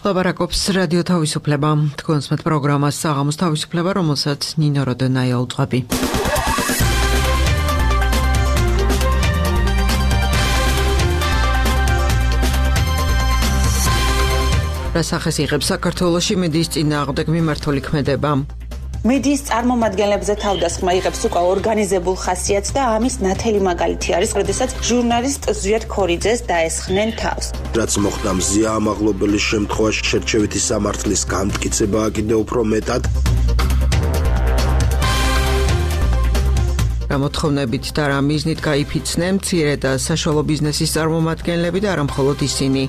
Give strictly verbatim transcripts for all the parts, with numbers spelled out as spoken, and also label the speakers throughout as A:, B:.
A: ლაპარაკობს რადიო თავისუფლება. თქვენს მეტ პროგრამას საღამოს თავისუფლება, რომელსაც ნინო როდენაია უძღვები. რასახეს იღებს საქართველოში მედიის წინააღმდეგ მიმართული ქმედება?
B: მედიის წარმომადგენლებზე თავდასხმა იღებს უკვე ორგანიზებულ ხასიათს და ამის ნათელი მაგალითი არის, როდესაც ჟურნალისტ ზვიად ქორიძეს დაესხნენ თავს.
C: რაც მოხდა მზია ამაღლობელის შემთხვევაში შერჩევითი სამართლის განმტკიცებაა კიდევ უფრო მეტად.
A: რა მოთხოვნებით და რა მიზნით გაიფიცნენ მცირე და საშუალო ბიზნესის წარმომადგენლები და არა მხოლოდ ისინი?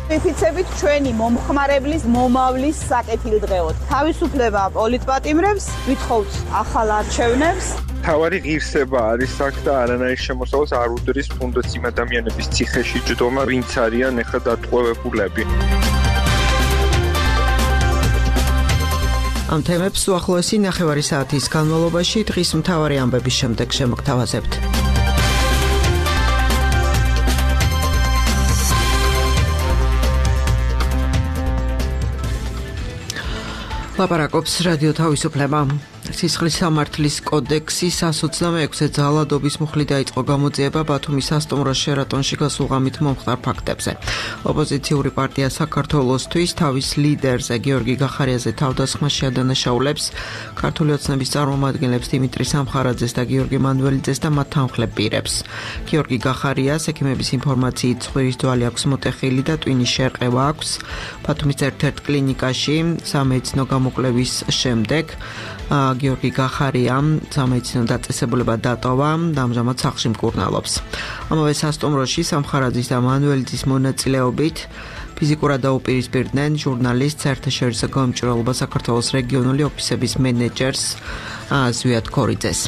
D: ვიფიცებით ჩვენი მომხმარებლის მომავლის საკეთილდღეოდ. თავისუფლება პოლიტპატიმრებს, ვითხოვთ ახალ არჩევნებს.
E: თავარი ღირსება არის აქ და არანაირ შემოსავალს არ უდრის თუნდაც იმ ადამიანების ციხეში ჯდომა, ვინც არიან ეხლა დატყვევებულები.
A: ამ თემებს უახლოესი ნახევარი საათის განმავლობაში დღის მთავარი ამბების შემდეგ შემოგთავაზებთ. ლაპარაკობს რადიო თავისუფლება. სისხლის სამართლის კოდექსის εκατს ოცდამეექვსე ძალადობის მუხლი დაიწყო გამოძიება ბათუმის სასტუმროს შერატონში გასულღამით მომხდარ ფაქტებზე. ოპოზიციური პარტია საქართველოსთვის თავის ლიდერზე გიორგი გახარიაზე თავდასხმაში ადანაშაულებს ქართული ოცნების წარმომადგენლებს დიმიტრი სამხარაძეს და გიორგი მანველიძეს და მათ თანხლებ პირებს. გიორგი გახარიას ექიმების ინფორმაციით ცხვირის ძვალი აქვს მოტეხილი და ტვინის შერყევა აქვს. ბათუმის ერთ-ერთ კლინიკაში სამედიცინო გამოკვლევის შემდეგ გიორგი გახარიამ სამედიცინო დაწესებულება დატოვა და ამჟამად სახლში მკურნალობს. ამავე სასტუმროში სამხარაძის და მანველიძის მონაწილეობით ფიზიკურად დაუპირისპირდნენ ჟურნალისტ საერთაშორისო გამომჭირვალობა საქართველოს რეგიონული ოფისების მენეჯერს ზვიად ქორიძეს.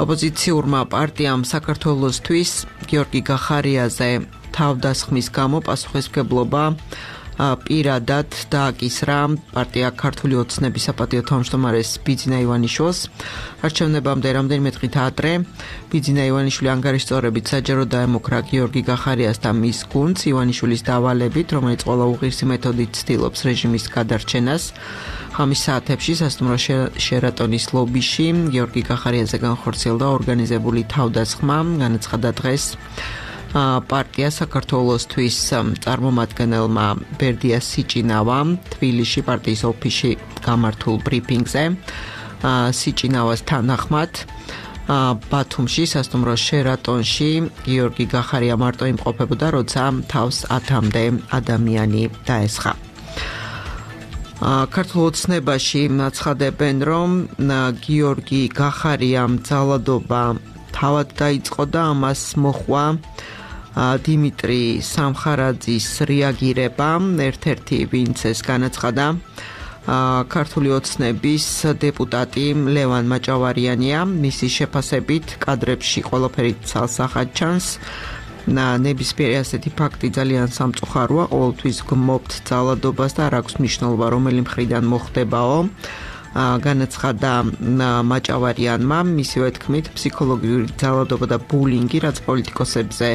A: ოპოზიციურმა პარტიამ საქართველოსთვის გიორგი გახარიაზე თავდასხმის გამო პასუხისმგებლობა პირადად დააკისრა პარტია ქართული ოცნების საპატიო თავმჯდომარეს ბიძინა ივანიშვილს. არჩევნებამდე რამდენიმე დღით ადრე ბიძინა ივანიშვილი ანგარიშწორებით საჯარო დაემუქრა გიორგი გახარიას და მის გუნდს ივანიშვილის დავალებით, რომელიც ყველა უღირსი მეთოდით ცდილობს რეჟიმის გადარჩენას. ხამის საათებში სასტუმრო შერატონის ლობიში გიორგი გახარიაზე განხორციელდა ორგანიზებული თავდასხმა, განაცხადა დღეს პარტია საქართველოსთვის წარმომადგენელმა ბერდია სიჭინავამ თბილისში პარტიის ოფისში გამართულ ბრიფინგზე. სიჭინავას თანახმად ბათუმში სასტუმროს შერატონში გიორგი გახარია მარტო იმყოფებოდა, როცა თავს ათამდე ადამიანი დაესხა. ქართულ ოცნებაში აცხადებენ, რომ გიორგი გახარიამ ძალადობა თავად დაიწყო და ამას მოჰყვა დიმიტრი სამხარაძის რეაგირება. ერთ-ერთი ვინც ეს განაცხადა ქართული ოცნების დეპუტატი ლევან მაჭავარიანია. მისი შეფასებით კადრებში ყველაფერი ცალსახად ჩანს. ნებისმიერი ასეთი ფაქტი ძალიან სამწუხაროა. ყოველთვის გმობთ ძალადობას და არ აქვს მნიშვნელობა რომელი მხრიდან მოხდებაო. განაცხადა მაჭავარიანმა, მისივე თქმით, ფსიქოლოგიური ძალადობა და ბულინგი, რაც პოლიტიკოსებზე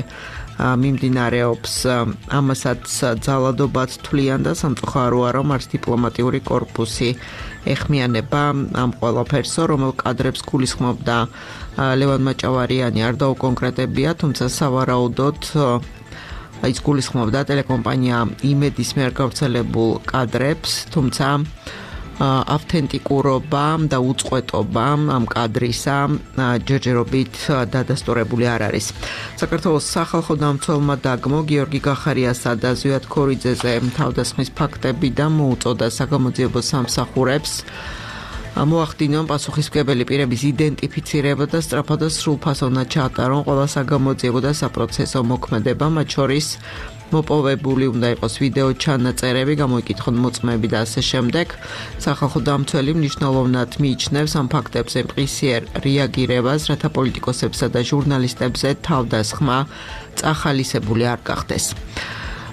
A: მიმდინარეობს, ამასაც ძალადობად თვლიან და სამწუხაროა, რომ არც დიპლომატიური კორპუსი ეხმიანება ამ ყველაფერსო, რომელ კადრებს გულისხმობდა ლევან მაჭავარიანი, არ დაუკონკრეტებია, თუმცა სავარაუდოდ ის გულისხმობდა ტელეკომპანია იმედის მიერ გავრცელებულ კადრებს, თუმცა ავთენტიკურობა და უწყვეტობა ამ კადრისა ჯერჯერობით დადასტურებული არ არის. საქართველოს სახალხო დამცველმა დაგმო გიორგი გახარიასა და ზვიად ქორიძეზე თავდასხმის ფაქტები და მოუწოდა საგამოძიებო სამსახურებს მოახდინონ პასუხისმგებელი პირების იდენტიფიცირება და სწრაფად და სრულფასოვნად ჩაატარონ ყველა საგამოძიებო და საპროცესო მოქმედება, მათ შორის მოპოვებული უნდა იყოს ვიდეო ჩანაწერები, გამოიკითხონ მოწმეები და ასე შემდეგ. სახალხო დამცველი მნიშვნელოვნად მიიჩნევს ამ ფაქტებზე მყისიერ რეაგირებას, რათა პოლიტიკოსებსა და ჟურნალისტებზე თავდასხმა წახალისებული არ გახდეს.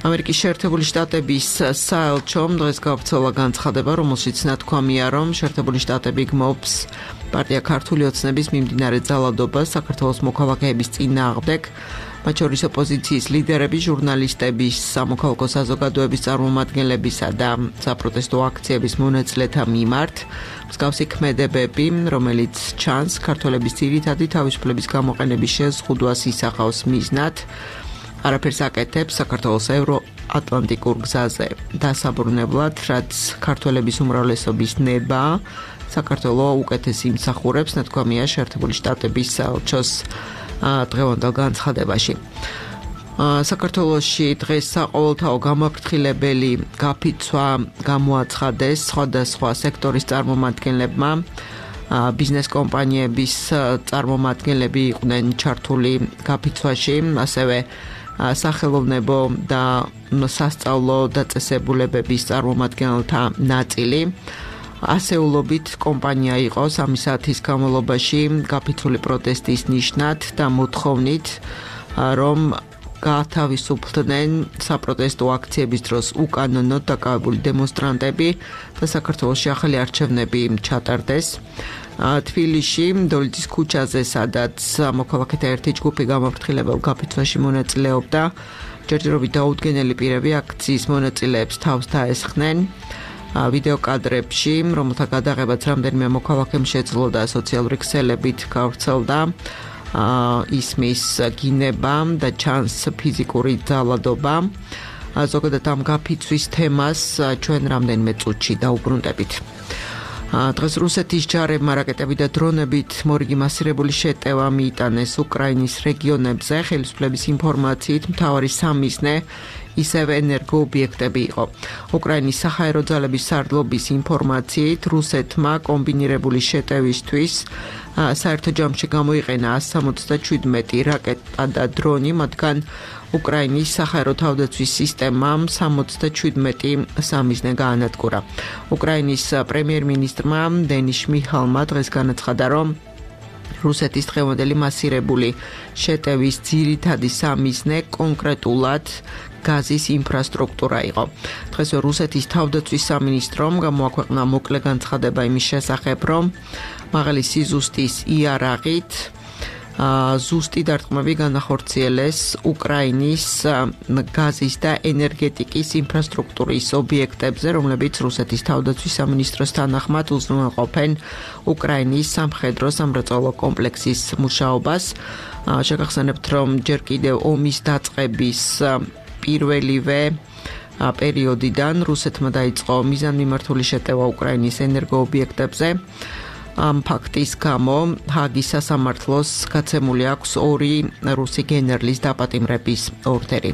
A: ამერიკის შეერთებული შტატების საელჩომ დღეს გავრცელა განცხადება, რომელშიც ნათქვამია, რომ შეერთებული შტატები გმობს პარტია ქართული ოცნების მიმდინარე ძალადობას საქართველოს მოქალაქეების წინააღმდეგ, მათ შორის ოპოზიციის ლიდერები, ჟურნალისტების, სამოქალაქო საზოგადოების წარმომადგენლებისა და საპროტესტო აქციების მონაწილეთა მიმართ. მსგავსი ქმედებები, რომელიც ჩანს ქართველების ძირითადი თავისუფლების გამოყენების შეზღუდვას ისახავს მიზნად, არაფერს აკეთებს საქართველოს ევროატლანტიკურ გზაზე დასაბრუნებლად, რაც ქართველების უმრავლესობის ნება, საქართველოს უკეთესი იმსახურებს, ნათქვამია შეერთებული შტატების საელჩოს დღევანდელ განცხადებაში. საქართველოში დღეს საყოველთაო გამაფრთხილებელი გაფიცვა გამოაცხადეს სხვადასხვა სექტორის წარმომადგენლებმა. ბიზნეს კომპანიების წარმომადგენლები იყვნენ ჩართული გაფიცვაში, ასევე სახელოვნებო და სასწავლო დაწესებულებების წარმომადგენელთა ნაწილი. ასეულობით კომპანია იყო სამი საათის განმავლობაში გაფიცვული პროტესტის ნიშნად და მოთხოვნით, რომ გაათავისუფლდნენ საპროტესტო აქციების დროს უკანონოდ დაკავებული დემონსტრანტები და საქართველოში ახალი არჩევნები ჩატარდეს. თბილისში, დოლიძის ქუჩაზე, სადაც მოქალაქეთა ერთი ჯგუფი გამაფრთხილებელ გაფიცვაში მონაწილეობდა, ჯერჯერობით დაუდგენელი პირები აქციის მონაწილეებს თავს დაესხნენ. ვიდეო კადრებში, რომელთა გადაღებაც რამდენიმე მოქალაქემ შეძლო და სოციალური ქსელებით გავრცელდა, ისმის გინება და ჩანს ფიზიკური ძალადობა. ზოგადად ამ გაფიცვის თემას ჩვენ რამდენიმე წუთში დაუბრუნდებით. დღეს რუსეთის ჯარებმა რაკეტები და დრონებით მორიგი მასირებული შეტევა მიიტანეს უკრაინის რეგიონებზე. ხელისუფლების ინფორმაციით მთავარი სამიზნე ისევე ენერგოობიექტები იყო. უკრაინის საჰაერო ძალების სარდლობის ინფორმაციით რუსეთმა კომბინირებული შეტევისთვის საერთო ჯამში გამოიყენა ასი სამოცდაშვიდმეტი რაკეტა და დრონი, მათგან უკრაინის საჰაერო თავდაცვის სისტემამ სამოცდაშვიდმეტი სამიზნე გაანადგურა. უკრაინის პრემიერ-მინისტრმა დენის შმიჰალმა დღეს განაცხადა, რომ რუსეთის დღევანდელი მასირებული შეტევის ძირითადი სამიზნე კონკრეტულად გაზის ინფრასტრუქტურა იყო. დღეს რუსეთის თავდაცვის სამინისტრომ გამოაქვეყნა მოკლე განცხადება იმის შესახებ, რომ მაღალი სიზუსტის იარაღით ზუსტი დარტყმები განახორციელეს უკრაინის გაზის და ენერგეტიკის ინფრასტრუქტურის ობიექტებზე, რომლებიც რუსეთის თავდაცვის სამინისტროს თანახმად უზრუნველყოფენ უკრაინის სამხედრო სამრეწველო კომპლექსის მუშაობას. შეგახსენებთ, რომ ჯერ კიდევ ომის დაწყების პირველივე პერიოდიდან რუსეთმა დაიწყო მიზანმიმართული შეტევა უკრაინის ენერგოობიექტებზე. ამ ფაქტის გამო ჰაგის სასამართლოს გაცემული აქვს ორი რუსი გენერლის დაპატიმრების ორდერი.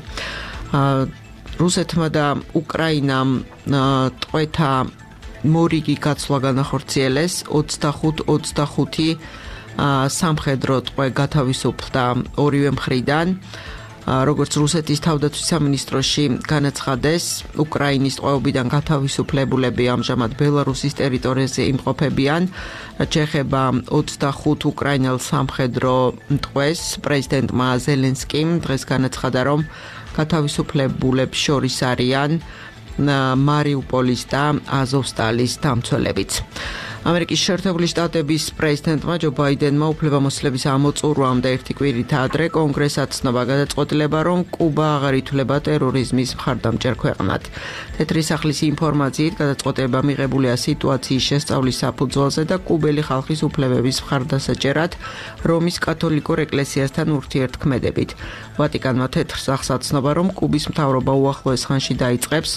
A: რუსეთმა და უკრაინამ ტყვეთა მორიგი გაცვლა განახორციელეს. ოცდახუთ ოცდახუთი სამხედრო ტყვე გათავისუფლდა ორივე მხრიდან. როგორც რუსეთის თავდაცვის სამინისტროში განაცხადეს, უკრაინის ტყვეობიდან გათავისუფლებულები ამჟამად ბელარუსის ტერიტორიაზე იმყოფებიან. რაც შეეხება ოცდახუთ უკრაინელ სამხედრო ტყვეს, პრეზიდენტმა ზელენსკიმ დღეს განაცხადა, რომ გათავისუფლებულებს შორის არიან მარიუპოლის და აზოვსტალის დამცველებიც. ამერიკის შეერთებული შტატების პრეზიდენტმა ჯო ბაიდენმა უფლებამოსილების ამოწურვამდე ერთი კვირით ადრე კონგრესად ცნობა გადაწყვეტილება, რომ კუბა აღარ ითვლება ტერორიზმის მხარდამჭერ ქვეყნად. თეთრი სახლის ინფორმაციით გადაწყვეტილება მიღებულია სიტუაციის შესწავლის საფუძველზე და კუბელი ხალხის უფლებების მხარდასაჭერად რომის კათოლიკურ ეკლესიასთან ურთიერთქმედებით. ვატიკანმა თეთრ სახლს აცნობა, რომ კუბის მთავრობა უახლოეს ხანში დაიწყებს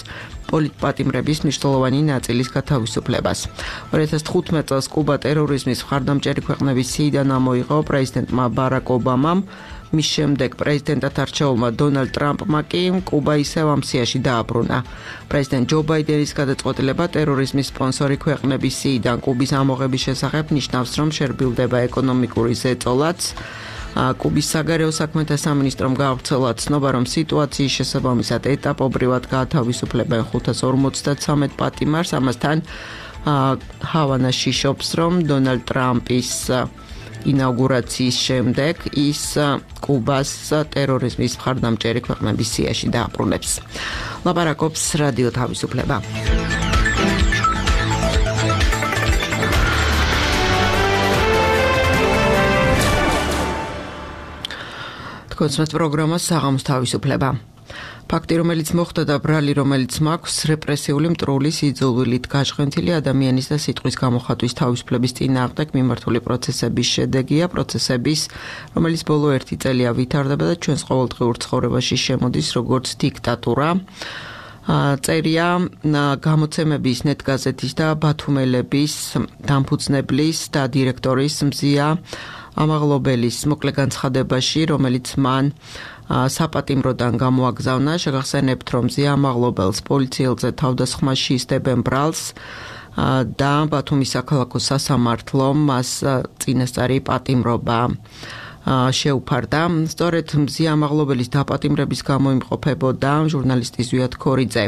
A: პოლიტპატიმრების მნიშვნელოვანი ნაწილის გათავისუფლებას. ორი ათას თხუთმეტ წელს კუბა ტერორიზმის მხარდამჭერი ქვეყნების სიიდან ამოიღო პრეზიდენტმა ბარაკ ობამამ, მის შემდეგ პრეზიდენტად არჩეულმა დონალდ ტრამპმა კი კუბა ისევ ამ სიაში დააბრუნა. პრეზიდენტ ჯო ბაიდენის გადაწყვეტილება ტერორიზმის სპონსორი ქვეყნების სიიდან კუბის ამოღების შესახებ ნიშნავს, რომ შერბილდება ეკონომიკური ზეწოლაც. კუბის საგარეო საქმეთა სამინისტრომ გაავრცელა ცნობა, რომ სიტუაციის შესაბამისად ეტაპობრივად გაათავისუფლებენ ხუთას ორმოცდათვრამეტ პატიმარს. ამასთან ჰავანაში შობს, რომ დონალდ ტრამპის ინაუგურაციის შემდეგ ის კუბას ტერორიზმის მხარდამჭერი ქვეყნების სიაში დააბრუნებს. ლაპარაკობს რადიო თავისუფლება. კონცერტ პროგრამა საღამოს თავისუფლება. ფაქტი, რომელიც მოხდა და ბრალი, რომელიც მაქვს რეპრესიული მტრული სიძულვილით გაჟღენთილი ადამიანის და სიტყვის გამოხატვის თავისუფლების წინააღმდეგ მიმართული პროცესების შედეგია, პროცესების, რომელიც ბოლო ერთი წელია ვითარდება და ჩვენს ყოველდღიურ ცხოვრებაში შემოდის როგორც დიქტატურა. წერია გამოცემების ნეტგაზეთის და ბათუმელების დამფუძნებლის და დირექტორის მზია ამაღლობელის მოკლე განცხადებაში, რომელიც მან საპატიმროდან გამოაგზავნა, შეგახსენებთ, რომ მზია ამაღლობელს პოლიციელზე თავდასხმაში ისდებენ ბრალს და ბათუმის საქალაქო სასამართლომ მას წინასწარი პატიმრობა შეუფარდა. სწორედ მზია ამაღლობელის დაპატიმრების გამო იმყოფებოდა ჟურნალისტი ზვიად ქორიძე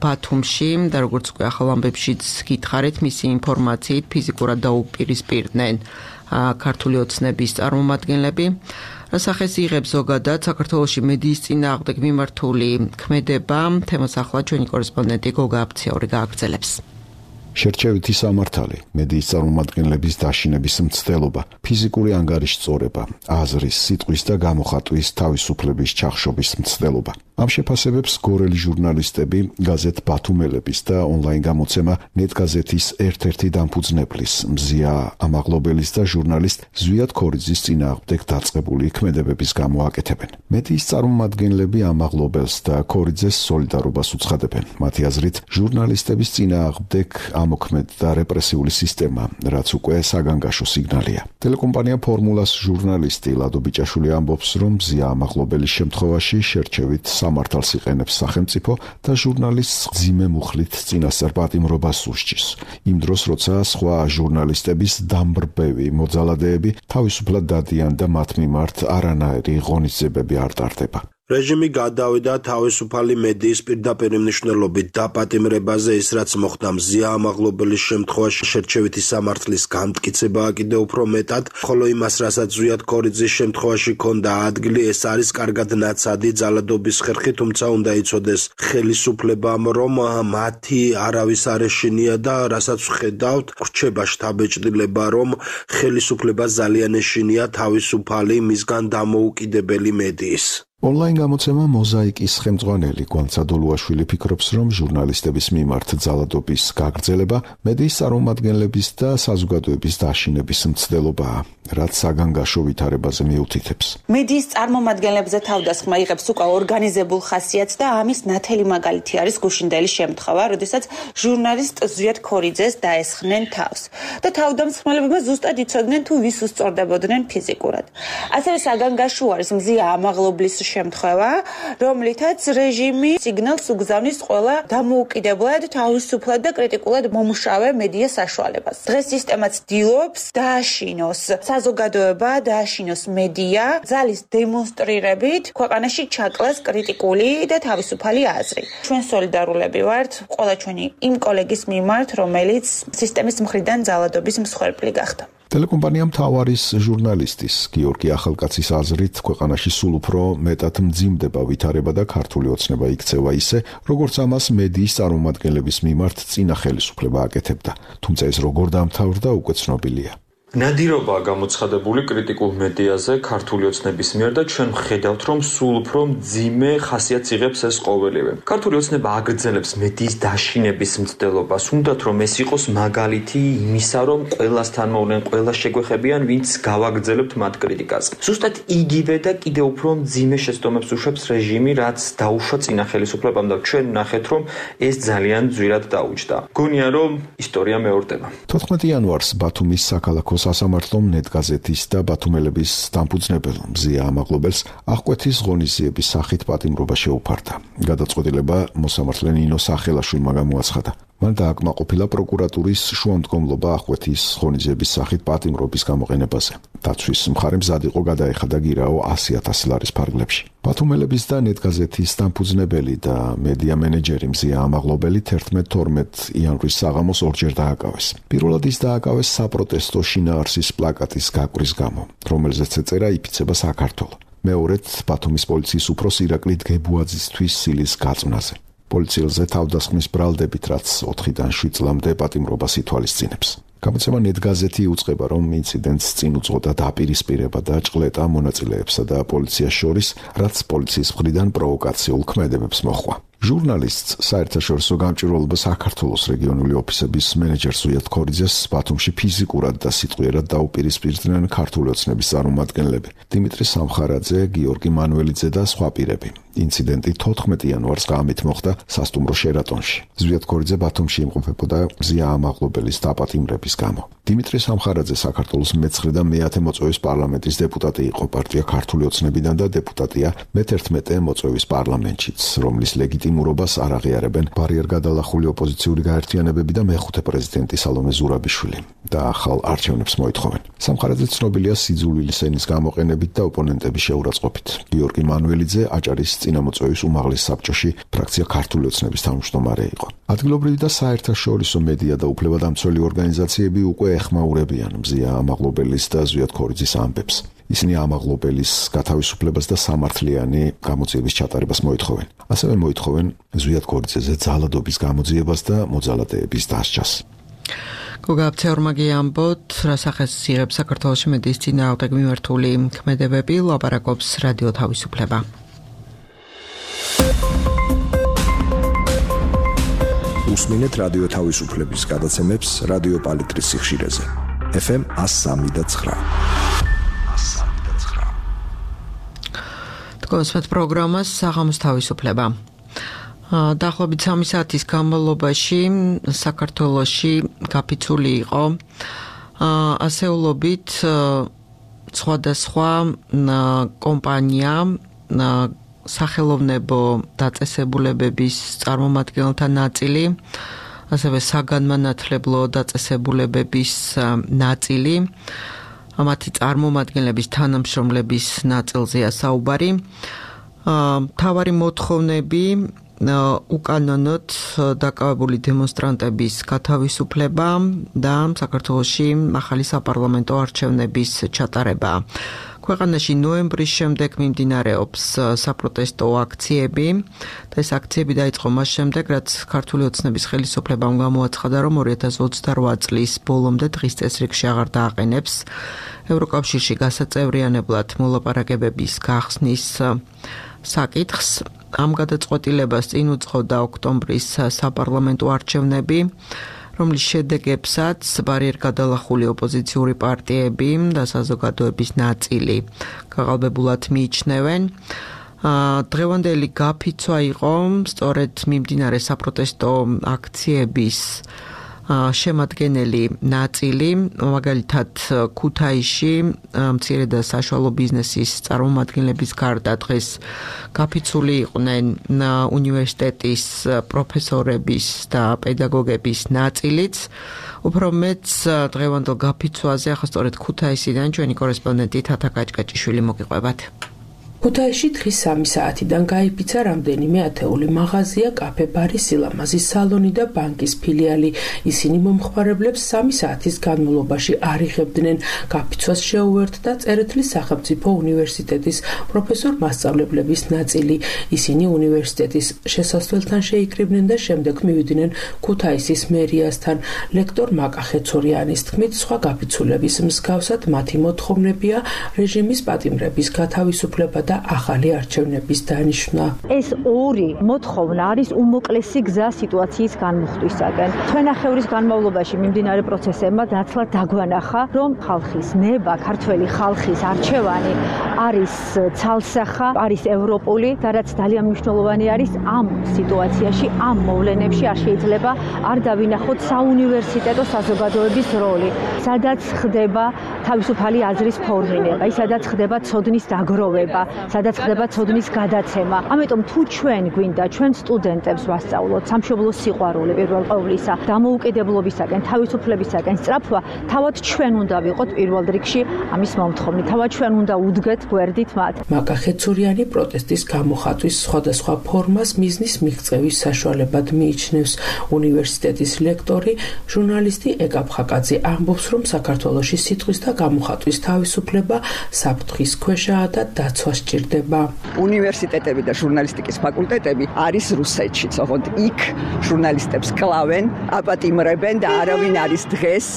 A: ბათუმში და როგორც უკვე ახალ ამბებშიც გითხარით, მისი ინფორმაციით ფიზიკურად დაუპირისპირდნენ ქართული ოცნების წარმომადგენლები. რასახეს იღებს ზოგადად საქართველოში მედიის წინააღმდეგ მიმართული ქმედება, თემას ახლა ჩვენი კორესპონდენტი გოგა აფციური გააგრძელებს.
F: შერჩევითი სამართალი, მედიის წარმომადგენლების დაშინების მცდელობა, ფიზიკური ანგარიშწორება, აზრის, სიტყვის და გამოხატვის თავისუფლების ჩახშობის მცდელობა. ამ შეფასებებს გორელი ჟურნალისტები, გაზეთ ბათუმელების და ონლაინ გამოცემა ნეტგაზეთის ერთ-ერთი დამფუძნებლის, მზია ამაღლობელის და ჟურნალისტ ზვიად ქორიძის წინააღმდეგ დაწყებული ქმედებების გამო აკეთებენ. მედიის წარმომადგენლები ამაღლობელს და ქორიძეს სოლიდარობას უცხადებენ. მათი აზრით, ჟურნალისტების წინააღმდეგ ამოქმედ და რეპრესიული სისტემა, რაც უკვე საგანგაშო სიგნალია. ტელეკომპანია ფორმულას ჟურნალისტი ლადო ბიჭაშვილი ამბობს, რომ მზია ამაღლობელის შემთხვევაში შერჩევით სამართალს იყენებს სახელმწიფო და ჟურნალისტს მძიმე მუხლით წინასწარ პატიმრობას უსჯის. იმ დროს, როცა სხვა ჟურნალისტების დამბრბევი მოძალადეები თავისუფლად დადიან და მათ მიმართ არანაირი ღონისძიებები არ ტარდება.
C: რეჟიმი გადავიდა თავისუფალი მედიის პირდაპირ მნიშვნელობით დაპატიმრებაზე, ის რაც მოხდა მზია ამაღლობელის შემთხვევაში შერჩევითი სამართლის განმტკიცებაა კიდევ უფრო მეტად, ხოლო იმას, რასაც ზვიად ქორიძის შემთხვევაში ჰქონდა ადგილი, ეს არის კარგად ნაცადი ძალადობის ხერხი, თუმცა უნდა იცოდეს ხელისუფლებამ, რომ მათი არავის არ ეშინია და რასაც ვხედავთ, რჩება შთაბეჭდილება, რომ ხელისუფლება ძალიან ეშინია თავისუფალი, მისგან დამოუკიდებელი მედიის.
F: ონლაინ გამოცემა მოზაიკის ხელმძღვანელი გვანცადოლუაშვილი ფიქრობს, რომ ჟურნალისტების მიმართ ძალადობის გაგრძელება მედიის წარმომადგენლების და საზოგადოების დაშინების მცდელობაა, რაც საგანგაშო ვითარებაზე მიუთითებს.
B: მედიის წარმომადგენლებზე თავდასხმა იღებს უკვე ორგანიზებულ ხასიათს და ამის ნათელი მაგალითი არის გუშინდელი შემთხვევა, როდესაც ჟურნალისტ ზვიად ქორიძეს დაესხნენ თავს და თავდამსხმელებმა ზუსტად იცოდნენ თუ ვის უსწორდებოდნენ ფიზიკურად. ასევე საგანგაშო არის მზია ამაღლობლის შემთხვევა, რომლითაც რეჟიმი სიგნალს უგზავნის ყველა დამოუკიდებლად, თავისუფლად და კრიტიკულად მომუშავე მედია საშუალებას. დღეს სისტემაც ცდილობს დააშინოს საზოგადოება, დააშინოს მედია, ძალის დემონსტრირებით ქვეყანაში ჩაკლას კრიტიკული და თავისუფალი აზრი. ჩვენ სოლიდარულები ვართ ყველა ჩვენი იმ კოლეგის მიმართ, რომელიც სისტემის მხრიდან ძალადობის მსხვერპლი გახდა.
F: ტელეკომპანია მთავარის ჟურნალისტის გიორგი ახალკაცის აზრით, ქვეყანაში სულ უფრო მეტად მძიმდება ვითარება და ქართული ოცნება იქცევა ისე, როგორც ამას მედიის წარმომადგენლების მიმართ წინა ხელისუფლება აკეთებდა. თუმცა ეს როგორ დამთავრდა, უკვე ცნობილია.
G: ნადირობაა გამოცხადებული კრიტიკულ მედიაზე ქართული ოცნების მიერ და ჩვენ ვხედავთ, რომ სულ უფრო მძიმე ხასიათს იღებს ეს ყოველივე. ქართული ოცნება აგრძელებს მედიის დაშინების მცდელობას, უნდათ რომ ეს იყოს მაგალითი იმისა, რომ ყველასთან მოვლენ, ყველა შეგვეხებიან, ვინც გავაგრძელებთ მათ კრიტიკას. ზუსტად იგივე და კიდევ უფრო მძიმე შეცდომებს უშვებს რეჟიმი, რაც დაუშვა წინა ხელისუფლებამ და ჩვენ ვნახეთ, რომ ეს ძალიან ძვირად დაუჯდა. გონია, რომ ისტორია მეორდება.
F: თოთხმეტი იანვარს ბათუმის საქალაქო სასამართლომ ნეტგაზეთის და ბათუმელების დამფუძნებელ მზია ამაღლობელს აღკვეთის ღონისძიების სახით პატიმრობა შეუფარდა. გადაწყვეტილება მოსამართლე ნინო სახელაშვილმა გამოაცხადა. მან დააკმაყოფილა პროკურატურის შუამდგომლობა ახკვეთის ღონისძიების სახით პატიმრობის გამოყენებაზე. დაცვის მხარე მზად იყო გადაეხადა გირაო ასი ათასი ლარის ფარგლებში. ბათუმელების და ნეტგაზეთის დამფუძნებელი და მედია მენეჯერი მზია ამაღლობელი თერთმეტ თორმეტ იანვრის საღამოს ორჯერ დააკავეს. პირველად ის დააკავეს საპროტესტო შინაარსის პლაკატის გაკვრის გამო, რომელზეც ეწერა იფიცება საქართველო. მეორედ ბათუმის პოლიციის უფროს ირაკლი დგებუაძისთვის სილის გაწვნაზე. პოლიციელზე თავდასხმის ბრალდებით, რაც ოთხიდან შვიდ წლამდე პატიმრობას ითვალისწინებს. გამოცემა ნეტგაზეთი იუწყება, რომ ინციდენტს წინ უძღოდა დაპირისპირება და ჭყლეტა მონაწილეებსა და პოლიციას შორის, რაც პოლიციის მხრიდან პროვოკაციულ ქმედებებს მოჰყვა. ჟურნალისტს საერთაშორისო გამჭვირვალობა საქართველოს რეგიონული ოფისების მენეჯერ ზვიად ქორიძეს ბათუმში ფიზიკურად და სიტყვიერად დაუპირისპირდნენ ქართული ოცნების წარმომადგენლები დიმიტრი სამხარაძე, გიორგი მანველიძე და სხვა პირები. ინციდენტი თოთხმეტ იანვარს ღამით მოხდა სასტუმრო შერატონში. ზვიად ქორიძე ბათუმში იმყოფებოდა მზია ამაღლობელის დაპატიმრების გამო. დიმიტრი სამხარაძე საქართველოს მეცხრე და მეათე მოწვევის პარლამენტის დეპუტატი იყო პარტია ქართული ოცნებიდან და დეპუტატია მეთერთმეტე მოწვევის პარლამენტშიც, რომლის ლეგიტიმურობას არ აღიარებენ ბარიერგადალახული ოპოზიციური გაერთიანებები და მეხუთე პრეზიდენტი სალომე ზურაბიშვილი და ახალ არჩევნებს მოითხოვენ. სამხარაძე ცნობილია სიძულვილის ენის გამოყენებით და ოპონენტების შეურაცხყოფით. გიორგი მანველიძე აჭარის წინამოწვევის უმაღლეს საბჭოში ფრაქცია ქართული ოცნების თავმჯდომარე იყო. ადგილობრივი და საერთაშორისო მედია და უფლებადამცველი ორგანიზაციები უკვე ეხმაურებიან მზია ამაღლობელის და ზვიად ქორიძის ამბებს. ისინი ამაღლობელის გათავისუფლებას და სამართლიანი გამოძიების ჩატარებას მოითხოვენ. ასევე მოითხოვენ ზვიად ქორიძეზე ძალადობის გამოძიებას და მოძალადეების დასჯას.
A: გოგაბცეორმა გიამბოთ, რასახეს იღებს საქართველოში მედიის წინააღმდეგ მიმართული ქმედებები, ლაპარაკობს რადიო თავისუფლება.
H: უსმინეთ რადიო თავისუფლების გადაცემებს რადიო პალიტრის სიხშირეზე. ეფ ემ one oh three და nine.
A: გოსმეთ პროგრამას საღამოს თავისუფლება. დაახლოებით სამი საათის განმავლობაში საქართველოში გაფიცული იყო ასეულობით სხვადასხვა კომპანია სახელოვნებო დაწესებულებების წარმომადგენელთა ნაწილი, ასევე საგანმანათლებლო დაწესებულებების ნაწილი, მათი წარმომადგენლების თანამშრომლების ნაწილზეა საუბარი. მთავარი მოთხოვნები უკანონოდ დაკავებული დემონსტრანტების გათავისუფლება და საქართველოში ახალი საპარლამენტო არჩევნების ჩატარება. ქვეყანაში ნოემბრის შემდეგ მიმდინარეობს საპროტესტო აქციები და ეს აქციები დაიწყო მას შემდეგ, რაც ქართული ოცნების ხელისუფლებამ გამოაცხადა, რომ ორი ათას ოცდარვა წლის ბოლომდე დღის წესრიგში აღარ დააყენებს ევროკავშირში გასაწევრიანებლად მოლაპარაკებების გახსნის საკითხს. ამ გადაწყვეტილებას წინ უძღოდა ოქტომბრის საპარლამენტო არჩევნები, რომლის შედეგებსაც ბარიერგადალახული ოპოზიციური პარტიები და საზოგადოების ნაწილი გაღალბებულად მიიჩნევენ. დღევანდელი გაფიცვა იყო სწორედ მიმდინარე საპროტესტო აქციების შემადგენელი ნაწილი, მაგალითად ქუთაისში მცირე და საშუალო ბიზნესის წარმომადგენლების გარდა დღეს გაფიცული იყვნენ უნივერსიტეტის პროფესორების და პედაგოგების ნაწილიც. უფრო მეც დღევანდელ გაფიცვაზე ახლა სწორედ ქუთაისიდან ჩვენი კორესპონდენტი თათა კაჭკაჭიშვილი მოგიყვებათ.
I: ქუთაისში დღის სამი საათიდან გაიფიცა რამდენიმე ათეული მაღაზია, კაფე, ბარი, სილამაზის სალონი და ბანკის ფილიალი. ისინი მომხმარებლებს სამი საათის განმავლობაში არ იღებდნენ. გაფიცვას შეუერთდა წერეთლის სახელმწიფო უნივერსიტეტის პროფესორ-მასწავლებლების ნაწილი. ისინი უნივერსიტეტის შესასვლელთან შეიკრიბნენ და შემდეგ მივიდნენ ქუთაისის მერიასთან. ლექტორ მაკა ხეცორიანის თქმით, სხვა გაფიცულების მსგავსად მათი მოთხოვნებია რეჟიმის პატიმრების გათავისუფლება და ახალი არჩევნების დანიშვნა.
J: ეს ორი მოთხოვნა არის უმოკლესი გზა სიტუაციის განმუხტვისაგან. თვენახევრის განმავლობაში მიმდინარე პროცესებმა ნაცვლად დაგვანახა, რომ ხალხის ნება, ქართველი ხალხის არჩევანი არის ცალსახა, არის ევროპული და რაც ძალიან მნიშვნელოვანი არის ამ სიტუაციაში, ამ მოვლენებში არ შეიძლება არ დავინახოთ საუნივერსიტეტო საზოგადოების როლი, სადაც ხდება თავისუფალი აზრის ფორმირება, სადაც ხდება ცოდნის დაგროვება, სადაც ხდება ცოდნის გადაცემა. ამიტომ თუ ჩვენ გვინდა ჩვენ სტუდენტებს ვასწავლოთ სამშობლოს სიყვარული პირველ ყოვლისა, დამოუკიდებლობისაკენ, თავისუფლებისაკენ სწრაფვა, თავად ჩვენ უნდა ვიყოთ პირველ რიგში ამის მომთხოვნი. თავად ჩვენ უნდა უდგეთ გვერდით მათ.
I: მაკა ხეცურიანი პროტესტის გამოხატვის სხვადასხვა ფორმას მიზნის მიღწევის საშუალებად მიიჩნევს. უნივერსიტეტის ლექტორი, ჟურნალისტი ეკა ფხაკაძე ამბობს, რომ საქართველოში სიტყვის და გამოხატვის თავისუფლება საფრთხის ქვეშაა და დაცვა სჭირდება.
K: უნივერსიტეტები და ჟურნალისტიკის ფაკულტეტები არის რუსეთში, ოღონდ იქ ჟურნალისტებს კლავენ, აპატიმრებენ და არავინ არის დღეს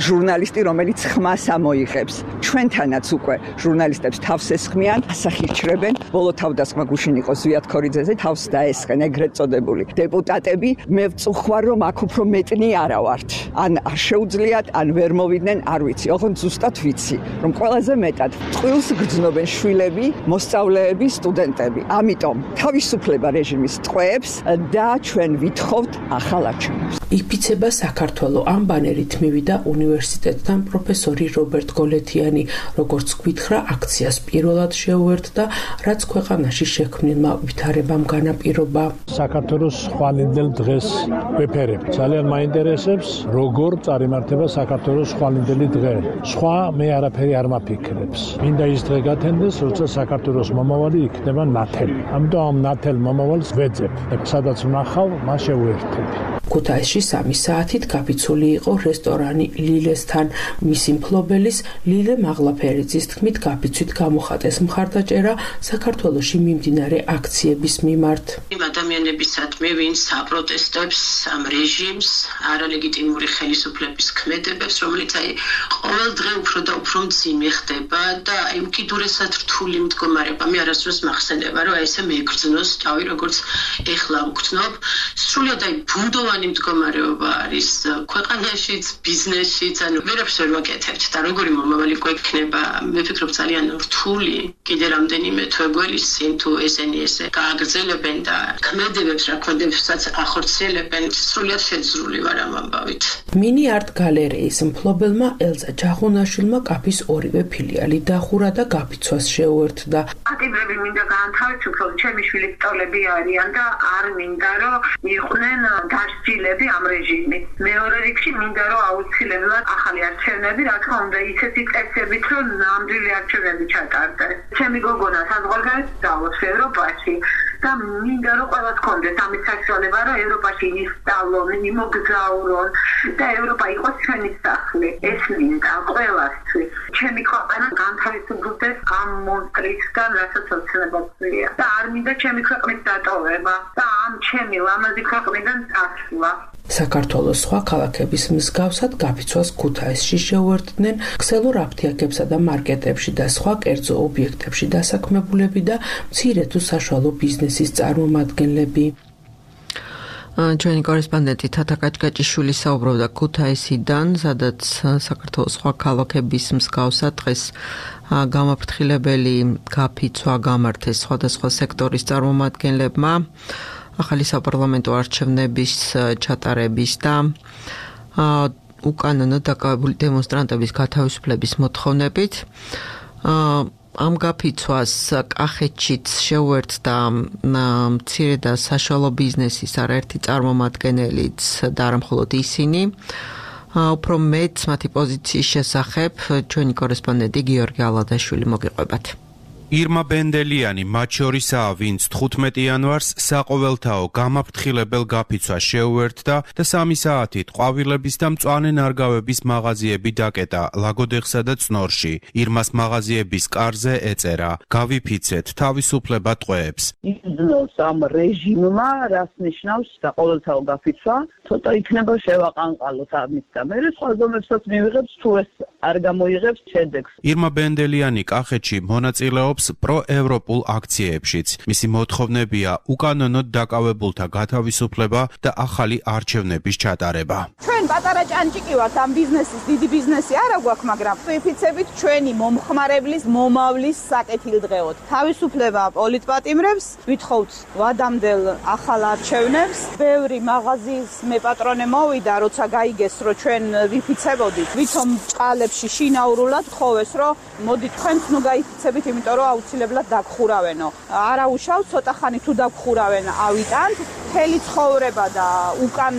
K: ჟურნალისტი, რომელიც ხმას ამოიღებს. ჩვენთანაც უკვე ჟურნალისტებს თავს ესხმიან, ასახირჩრებენ. ბოლო თავდასხმა გუშინ იყო ზვიად ქორიძეზე, თავს დაესხენ ეგრეთ წოდებული დეპუტატები. მე ვწუხარ, რომ აქ უფრო მეტნი არა ვართ. ან არ შეუძლიათ, ან ვერ მოვიდნენ, არ ვიცი. ოღონდ ზუსტად ვიცი, რომ ყველაზე მეტად წყვილს გრძნობენ შვილები, მოსწავლეები, სტუდენტები. ამიტომ თავისუფლება რეჟიმის ტყვეებს და ჩვენ ვითხოვთ ახალ არჩევნებს.
I: იფიცება საქართველოს ამ ბანერით მივიდა უნივერსიტეტთან პროფესორი რობერტ გოლეთიანი, როგორც გვითხრა, აქციას პირველად შეუერთდა, რაც ქვეყანაში შექმნილმა ვითარებამ განაპირობა.
L: საქართველოს ხვალინდელ დღეს ვეფერებ. ძალიან მაინტერესებს, როგორ წარიმართება საქართველოს ხვალინდელი დღე. სხვა მე არაფერი არ მაფიქრებს. მინდა ის დღე გათენდეს, როცა საქართველოს მომავალი იქნება ნათელი. ამიტომ ამ ნათელ მომავალს ვეძებ. სადაც ვნახავ, მას შევუერთებ.
I: ქუთაისში სამი საათით გაფიცული იყო რესტორანი ლილესთან. მისი მფლობელის ლილე მაღლაფერიძის თქმით, გაფიცვით გამოხატეს მხარდაჭერა საქართველოში მიმდინარე აქციების მიმართ.
M: იმ ადამიანებისადმი, ვინც აპროტესტებს ამ რეჟიმს, არალეგიტიმური ხელისუფლების ქმედებებს, რომელიც აი ყოველ დღე უფრო და უფრო მძიმე ხდება და აი უკიდურესად რთული მდგომარეობა. მე არასდროს მახსენდება, რომ აი ესე მეგრძნოს თავი, როგორც ეხლა ვგრძნობ. სრულად აი ბუნდოვანი მდგომარეობა არის ქვეყანაშიც, ბიზნესშიც, ანუ ვერაფერს ვერ ვაკეთებთ და როგორი მომავალი გვექნება, მე ვფიქრობ ძალიან რთული. კიდე რამდენიმე თვე გველისცემ თუ ესენი ესე გააგრძელებენ და ქმედებებს რა ქმედებსაც ახორციელებენ, სრულად შეძრული ვარ ამ ამბავით.
I: მინი არტ გალერეის მფლობელმა ელზა ჯაღუნაშვილმა კაფის ორივე ფილიალი დახურა და გაფიცვას შეუერთდა.
N: ატიმრები მინდა გაანთავისუფლო, ჩემი შვილი სწავლები არიან და არ მინდა რომ იყვნენ დასჯილები ამ რეჟიმით. მეორე რიგში მინდა რომ აუცილებლად ახალი არჩევნები, რა თქმა უნდა, ისეთი წესებით, რომ ნამდვილი არჩევნები ჩატარდეს. ჩემი გოგონა საზღვარგარეთ სწავლობს ევროპაში და მინდა რომ ყველას კონდეს ამის საშუალება, რომ ევროპაში ისწავლონ, იმოგზაურონ და ევროპა იყოს ჩვენი სახლი. ეს მინდა ყველასთვის. ჩემი ქვეყანა განთავისუფლდეს ამ მონსტრისგან, რასაც ოცნებობია. და არ მინდა ჩემი ქვეყნის დატოვება და ამ ჩემი ლამაზი ქვეყნიდან წასვლა.
I: საქართველოს სხვა ქალაქების მსგავსად გაფიცვას ქუთაისში შეუერთდნენ ქსელურ აფთიაქებსა და მარკეტებში და სხვა კერძო ობიექტებში დასაქმებულები და მცირე თუ საშუალო ბიზნესის წარმომადგენლები.
A: ჩვენი კორესპონდენტი თათა კაჭკაჭიშვილი საუბრობდა ქუთაისიდან, სადაც საქართველოს სხვა ქალაქების მსგავსად დღეს გამაფრთხილებელი გაფიცვა გამართეს სხვადასხვა სექტორის წარმომადგენლებმა ახალი საპარლამენტო არჩევნების ჩატარების და უკანონო დაკავებული დემონსტრანტების გათავისუფლების მოთხოვნებით. ამ გაფიცვას კახეთშიც შეუერთდა მცირე და საშუალო ბიზნესის არაერთი წარმომადგენელიც და არა მხოლოდ ისინი. უფრო მეც მათი პოზიციის შესახებ ჩვენი კორესპონდენტი გიორგი ალადაშვილი მოგიყვებათ.
O: ირმა ბენდელიანი მათ შორისაა, ვინც თხუთმეტი იანვარს საყოველთაო გამაფრთხილებელ გაფიცვას შეუერთდა და სამი საათით ყვავილების და მწვანე ნარგავების მაღაზიები დაკეტა ლაგოდეხსა და წნორში. ირმას მაღაზიების კარზე ეწერა: გავიფიცეთ თავისუფლება ტყვეებს.
D: იზნოს ამ რეჟიმმა, რაც ნიშნავს საყოველთაო გაფიცვა, ცოტა იქნება შევაყანყალოთ ამით და მე სხვა ზომებსაც მივიღებს, თუ ეს არ გამოიღებს შედეგს.
O: ირმა ბენდელიანი კახეთში მონაწილეობს მუშაობს პროევროპულ აქციებშიც. მისი მოთხოვნებია უკანონოდ დაკავებულთა გათავისუფლება და ახალი არჩევნების ჩატარება.
P: ჩვენ პატარა ჭანჭიკი ვართ ამ ბიზნესის, დიდი ბიზნესი არა გვაქვს, მაგრამ ვიფიცებით ჩვენი მომხმარებლის მომავლის საკეთილდღეოდ. თავისუფლება პოლიტპატიმრებს, ვითხოვთ ვადამდელ ახალ არჩევნებს. ბევრი მაღაზიის მეპატრონე მოვიდა, როცა გაიგეს, რომ ჩვენ ვიფიცებოდით, ვითომ ჭყალებში შინაურულად თხოვეს, რომ მოდი თქვენც ნუ გაიფიცებით, იმიტომ რომ აუცილებლად დაგხურავენო. არა უშავ, ცოტა ხანი თუ დაგხურავენ, ავიტანთ. მთელი ცხოვრება და უკან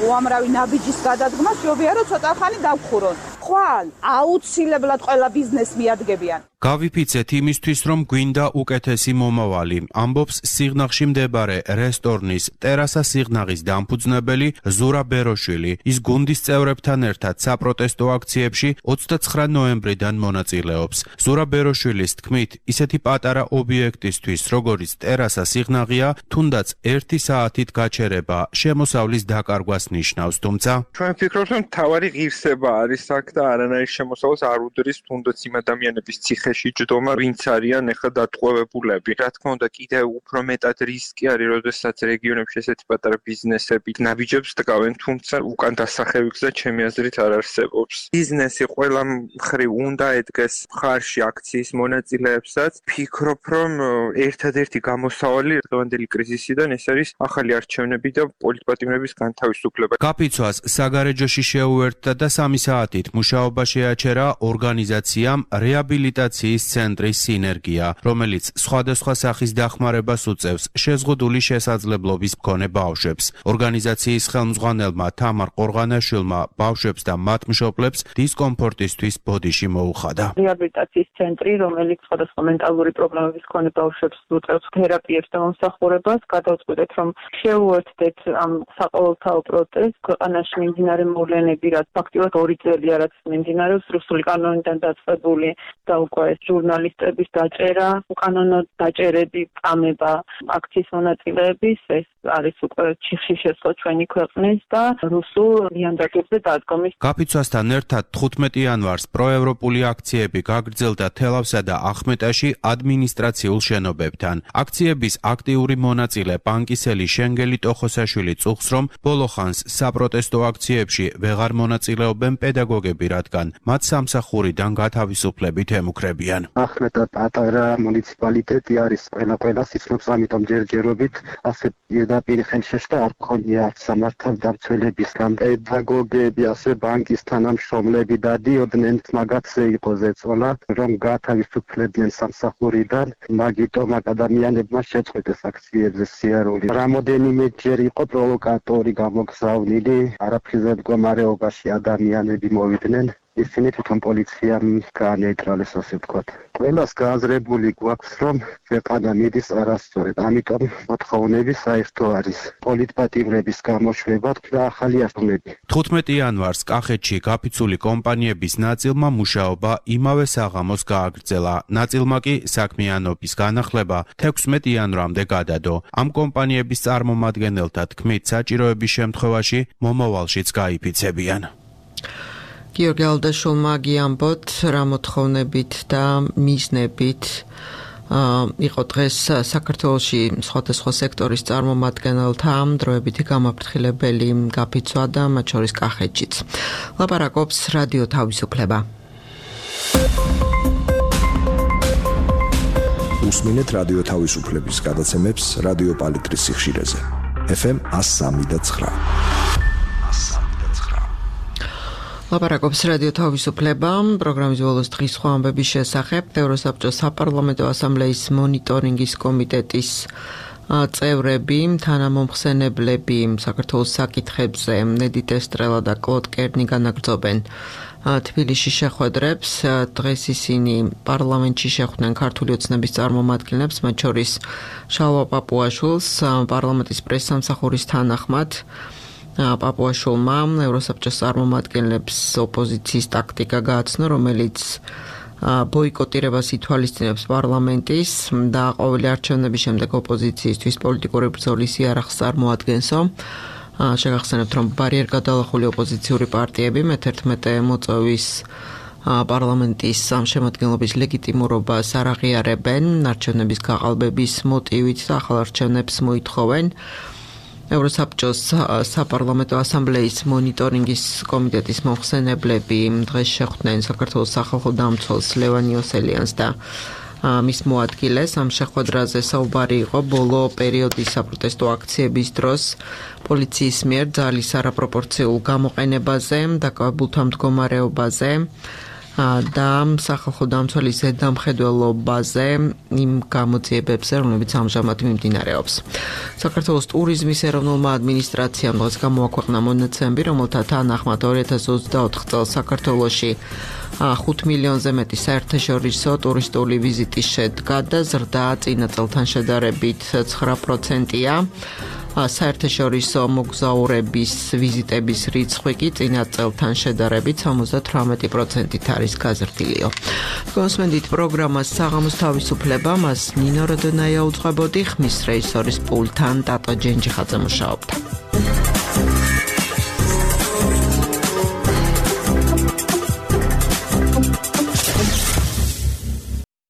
P: უამრავი ნაბიჯის გადადგმა შეობია, რომ ცოტა ხანი დაგხურონ. ხვალ აუცილებლად ყველა ბიზნეს მიადგებიან.
O: გავიფიცეთ იმისთვის, რომ გვინდა უკეთესი მომავალი, ამბობს სიღნაღში მდებარე რესტორნის ტერასა სიღნაღის დამფუძნებელი ზურა ბეროშვილი. ის გუნდის წევრებთან ერთად საპროტესტო აქციებში ოცდაცხრა ნოემბრიდან მონაწილეობს. ზურა ბეროშვილის თქმით, ისეთი პატარა ობიექტისთვის, როგორიც ტერასა სიღნაღია, თუნდაც ერთი საათით გაჩერება შემოსავლის დაკარგვას ნიშნავს, თუმცა
E: ჩვენ ვფიქრობთ, რომ თავარი ღირსება არის აქ და არანაირ შემოსავალს არ უდრის თუნდაც იმ ადამიანების ციხეში ჯდომა, ვინც არიან ახლა დატყვევებულები. რა თქმა უნდა, კიდევ უფრო მეტად რისკი არის, როდესაც რეგიონებში ესეთი პატარა ბიზნესები ნაბიჯებს დგავენ, თუმცა უკან დასახევი გზა ჩემი აზრით არ არსებობს. ბიზნესი ყველა მხრივ უნდა ედგეს მხარში აქციის მონაწილეებსაც. ფიქრობ, რომ ერთადერთი გამოსავალი დღევანდელი კრიზისიდან ეს არის ახალი არჩევნები და პოლიტპატიმრების განთავისუფლება.
O: გაფიცვას საგარეჯოში შეუერთდა და სამი საათით მუშაობა შეაჩერა ორგანიზაციამ რეაბილიტაციის ცენტრი სინერგია, რომელიც სხვადასხვა სახის დახმარებას უწევს შეზღუდული შესაძლებლობის მქონე ბავშვებს. ორგანიზაციის ხელმძღვანელმა თამარ ყორღანაშვილმა ბავშვებს და მათ მშობლებს დისკომფორტისთვის ბოდიში მოუხადა.
Q: რეაბილიტაციის ცენტრი, რომელიც სხვადასხვა მენტალური პრობლემების მქონე ბავშვებს უწევს თერაპიებს და მომსახურებას, გადავწყვიტეთ, რომ შევუერთდეთ ამ საყოველთაო პროტესტს ქვეყანაში მიმდინარე მოვლენები, რაც ფაქტიურად ორი წელია, რაც მიმდინარეობს რუსული კანონიდან დაწყებული და უკვე ჟურნალისტების დაჭერა, უკანონო დაჭერები, წამება აქციის მონაწილეების, ეს არის უკვე ჩიხში შესხო ჩვენი ქვეყნის და რუსულ ლიანდაგებზე დადგომის.
O: გაფიცვასთან ერთად თხუთმეტი იანვარს პროევროპული აქციები გაგრძელდა თელავსა და ახმეტაში ადმინისტრაციულ შენობებთან. აქციების აქტიური მონაწილე ბანკისელი შენგელი ტოხოსაშვილი წუხს, რომ ბოლო ხანს საპროტესტო აქციებში ვეღარ მონაწილეობენ პედაგოგები, რადგან მათ სამსახურიდან გათავისუფლებით ემუქრებიან.
R: ახმეტა პატარა მუნიციპალიტეტი არის ყველა ყველას იცნობს, ამიტომ ჯერჯერობით ასე პირდაპირ ხელშეშთა არ გქონია სამართალდამცველებისგან. პედაგოგები, ასე ბანკის თანამშრომლები დადიოდნენ, მაგათზე იყო ზეწოლა, რომ გათავისუფლებდნენ სამსახურიდან, მაგიტომ ადამიანებმა შეწყვეტეს აქციებზე სიარული. რამოდენიმეჯერ იყო პროვოკატორი გამოგზავნილი, არაფრიზე მდგომარეობაში ადამიანები მოვიდნენ. ისინი თვითონ პოლიციამ გაანეიტრალეს, ასე ვთქვათ. ყველას გააზრებული გვაქვს, რომ ქვეყანა მიდის არასწორად, ამიტომ მოთხოვნები საერთო არის პოლიტპატიმრების გამოშვება და ახალი არჩევნები.
O: თხუთმეტი იანვარს კახეთში გაფიცული კომპანიების ნაწილმა მუშაობა იმავე საღამოს გააგრძელა. ნაწილმა კი საქმიანობის განახლება თექვსმეტი იანვრამდე გადადო. ამ კომპანიების წარმომადგენელთა თქმით, საჭიროების შემთხვევაში მომავალშიც გაიფიცებიან.
A: გიორგი ალდაშვილმა გიამბოთ, რა მოთხოვნებით და მიზნებით იყო დღეს საქართველოში სხვადასხვა სექტორის წარმომადგენელთა დროებითი გამაფრთხილებელი გაფიცვა და მათ შორის კახეთშიც. ლაპარაკობს რადიო თავისუფლება.
H: უსმინეთ რადიო თავისუფლების გადაცემებს რადიო პალიტრის სიხშირეზე. ეფ ემ ას სამი და ცხრა.
A: ლაპარაკობს რადიო თავისუფლება, პროგრამის ბოლოს დღის სხვა ამბების შესახებ. ევროსაბჭოს საპარლამენტო ასამბლეის მონიტორინგის კომიტეტის წევრები, თანამომხსენებლები საქართველოს საკითხებზე ნედით ესტრელა და კლოდ კერნი განაგრძობენ თბილისში შეხვედრებს. დღეს ისინი პარლამენტში შეხვდნენ ქართული ოცნების წარმომადგენლებს, მათ შორის შალვა პაპუაშვილს, პარლამენტის პრესსამსახურის თანახმად. პაპუაშვილმა ევროსაბჭოს წარმომადგენლებს ოპოზიციის ტაქტიკა გააცნო, რომელიც ბოიკოტირებას ითვალისწინებს პარლამენტის და ყოველი არჩევნების შემდეგ ოპოზიციისთვის პოლიტიკური ბრძოლის იარაღს წარმოადგენსო. შეგახსენებთ, რომ ბარიერგადალახული ოპოზიციური პარტიები მეთერთმეტე მოწვევის პარლამენტის შემადგენლობის ლეგიტიმურობას არ აღიარებენ, არჩევნების გაყალბების მოტივით და ახალ არჩევნებს მოითხოვენ. ევროსაბჭოს საპარლამენტო ასამბლეის მონიტორინგის კომიტეტის მომხსენებლები დღეს შეხვდნენ საქართველოს სახალხო დამცველს ლევან იოსელიანს და მის მოადგილეს. ამ შეხვედრაზე საუბარი იყო ბოლო პერიოდის საპროტესტო აქციების დროს პოლიციის მიერ ძალის არაპროპორციულ გამოყენებაზე, დაკავებულთა მდგომარეობაზე და სახალხო დამცველის ზედამხედველობაზე იმ გამოძიებებზე, რომლებიც ამჟამად მიმდინარეობს. საქართველოს ტურიზმის ეროვნულმა ადმინისტრაციამ დღეს გამოაქვეყნა მონაცემები, რომელთა თანახმად ორი ათას ოცდაოთხ წელს საქართველოში ხუთ მილიონზე მეტი საერთაშორისო ტურისტული ვიზიტი შედგა და ზრდა წინა წელთან შედარებით ცხრა პროცენტია. საერთაშორისო მოგზაურების ვიზიტების რიცხვი კი წინა წელთან შედარებით სამოცდათვრამეტი პროცენტით არის გაზრდილიო. კონსმენდით პროგრამას საღამოს თავისუფლება, მას ნინო როდონაია უძღვებოდი, ხმის რეჟისორის პულტთან ტატო ჯენჯიხაძე მუშაობდა.